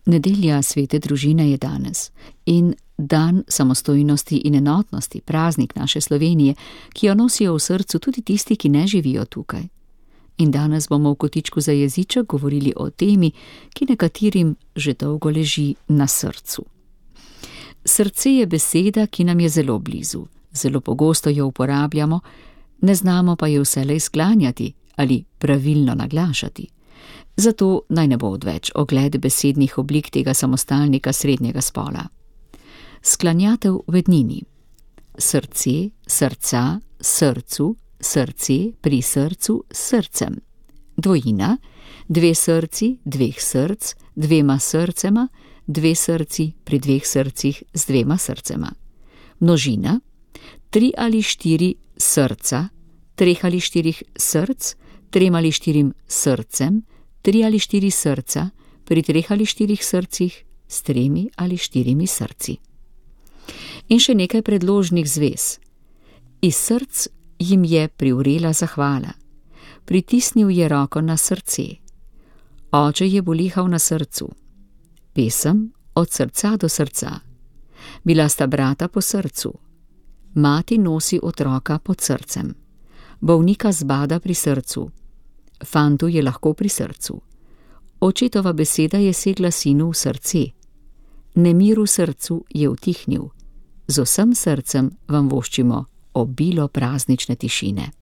Nedelja svete družine je danes in dan samostojnosti in enotnosti, praznik naše Slovenije, ki jo nosijo v srcu tudi tisti, ki ne živijo tukaj. In danes bomo v kotičku za jeziček govorili o temi, ki nekaterim že dolgo leži na srcu. Srce je beseda, ki nam je zelo blizu, zelo pogosto jo uporabljamo, ne znamo pa jo vselej sklanjati ali pravilno naglašati. Zato naj ne bo odveč ogled besednih oblik tega samostalnika srednjega spola. Sklanjatev v ednini. Srce, srca, srcu, srce, pri srcu, srcem. Dvojina, dve srci, dveh src, dvema srcema, dve srci, pri dveh srcih, z dvema srcema. Množina, 3 ali 4 srca, 3 ali 4 src, 3 ali 4 srcem, 3 ali 4 srca, pri 3 ali 4 srcih, s 3 ali 4 srci. In še nekaj predložnih zvez. Iz src jim je privrela zahvala. Pritisnil je roko na srce. Oče je bolihal na srcu. Pesem od srca do srca. Bila sta brata po srcu. Mati nosi otroka pod srcem. Bolnika zbada pri srcu. Fantu je lahko pri srcu. Očetova beseda je segla sinu v srce. Nemir v srcu je utihnil. Z vsem srcem vam voščimo obilo praznične tišine.